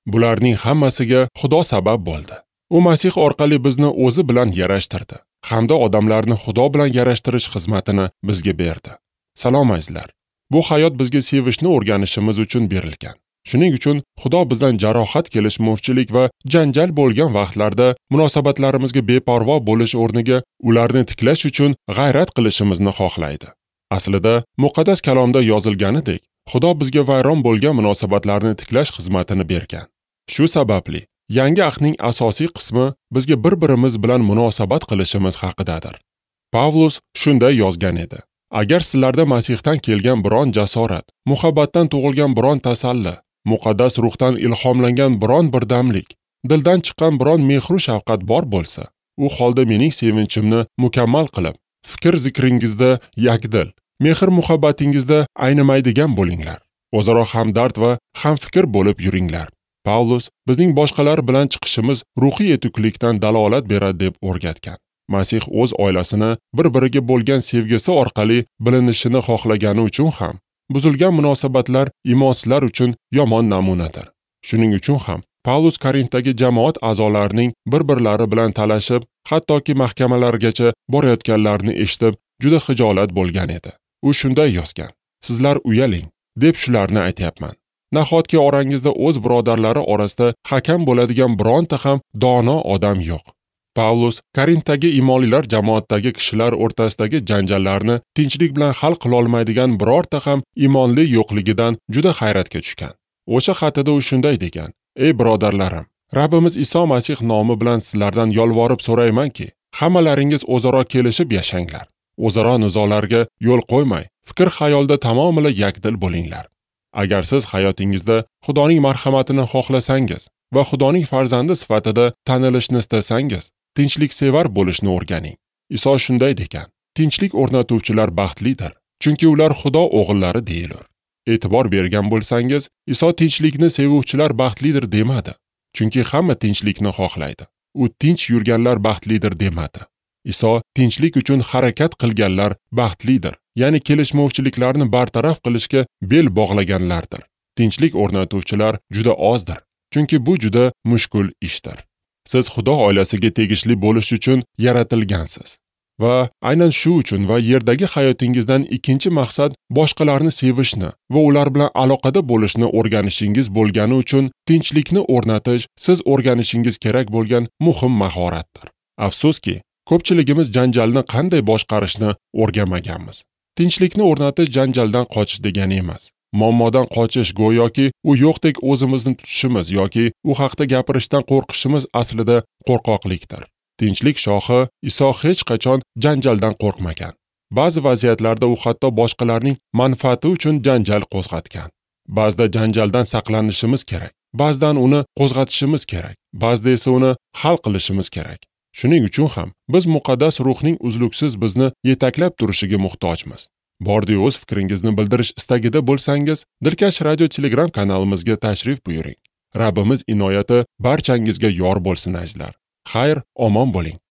Bularning hammasiga Xudo sabab bo'ldi. U Masih orqali bizni o'zi bilan yarashtirdi hamda odamlarni Xudo bilan yarashtirish xizmatini bizga berdi. Salom azizlar. Bu hayot bizga sevishni o'rganishimiz uchun berilgan. Shuning uchun Xudo bizdan jarohat, kelishmovchilik va janjal bo'lgan vaqtlarda munosabatlarimizga beparvo bo'lish o'rniga ularni tiklash uchun g'ayrat qilishimizni xohlaydi. Aslida muqaddas kalomda yozilganidek, Xudo bizga vayron bo'lgan munosabatlarni tiklash xizmatini bergan. Shu sababli yangi ahdning asosiy qismi bizga bir-birimiz bilan munosabat qilishimiz haqidadir. Pavlus shunday yozgan edi: Agar sizlarda Masihdan kelgan biron jasorat, muhabbatdan tug'ilgan biron tasalli, muqaddas ruhdan ilhomlangan biron birdamlik, dildan chiqqan biron mehru shafqat bor bo'lsa, u holda mening sevinchimni mukammal qilib, fikr zikringizda yakdil, mehr muhabbatingizda aynimaydigan bo'linglar. O'zaro hamdard va hamfikr bo'lib yuringlar. Pavlus bizning boshqalar bilan chiqishimiz ruhiy yetuklikdan dalolat beradi deb o'rgatgan. Masih o'z oilasini bir-biriga bo'lgan sevgisi orqali bilinishini xohlagani uchun ham buzilgan munosabatlar imonsizlar uchun yomon namunadir. Shuning uchun ham Pavlus Korintdagi jamoat a'zolarining bir-birlari bilan talashib, hattoki mahkamalargacha borayotganlarini eshitib, juda xijolat bo'lgan edi. U shunday yozgan: Sizlar uyaling, deb shularni aytyapman. Nahotki orangizda o'z birodarlari orasida hakam bo'ladigan bironta ham dono odam yo'q. Pavlus Korintdagi imonlilar jamoatdagi kishilar o'rtasidagi janjallarni tinchlik bilan hal qila olmaydigan birorta ham imonli yo'qligidan juda hayratga tushgan. O'sha xatida u shunday degan: Ey birodarlarim, Rabbimiz Iso Masih nomi bilan sizlardan yolvorib so'raymanki, hammalaringiz o'zaro kelishib yashanglar. O'zaro nizolarga yo'l qo'ymay, fikr xayolda tamomila yakdil bo'linglar. Agar siz hayotingizda Xudoning marhamatini xohlasangiz va Xudoning farzandi sifatida tanilishni istasangiz, tinchliksevar bo'lishni o'rganing. Iso shunday degan: Tinchlik o'rnatuvchilar baxtlidir, chunki ular Xudo o'g'illari deyilur. E'tibor bergan bo'lsangiz, Iso tinchlikni sevuvchilar baxtlidir demadi, chunki hamma tinchlikni xohlaydi. U tinch yurganlar baxtlidir demadi. Iso tinchlik uchun harakat qilganlar baxtlidir, ya'ni kelishmovchiliklarni bartaraf qilishga bel bog'laganlardir. Tinchlik o'rnatuvchilar juda ozdir, chunki bu juda mushkul ishdir. Siz Xudo oilasiga tegishli bo'lish uchun yaratilgansiz. Va aynan shu uchun va yerdagi hayotingizdan ikkinchi maqsad boshqalarni sevishni va ular bilan aloqada bo'lishni o'rganishingiz bo'lgani uchun tinchlikni o'rnatish siz o'rganishingiz kerak bo'lgan muhim mahoratdir. Afsuski, ko'pchiligimiz janjalni qanday boshqarishni o'rganmaganmiz. Tinchlikni o'rnatish janjaldan qochish degani emas. Muammodan qochish go'yoki u yo'qdek o'zimizni tutishimiz yoki u haqda gapirishdan qo'rqishimiz aslida qo'rqoqlikdir. Tinchlik shohi Iso hech qachon janjaldan qo'rqmagan. Ba'zi vaziyatlarda u hatto boshqalarning manfaati uchun janjal qo'zg'atgan. Ba'zida janjaldan saqlanishimiz kerak, ba'zidan uni qo'zg'atishimiz kerak, ba'zida esa uni hal qilishimiz kerak. Shuning uchun ham biz muqaddas ruhning uzluksiz bizni yetaklab turishiga muhtojmiz. Bordi o'z fikringizni bildirish istagida bo'lsangiz, Dilkash Radio Telegram kanalimizga tashrif buyuring. Rabbimiz inoyati barchangizga yor bo'lsin azizlar. Xayr, omon bo'ling.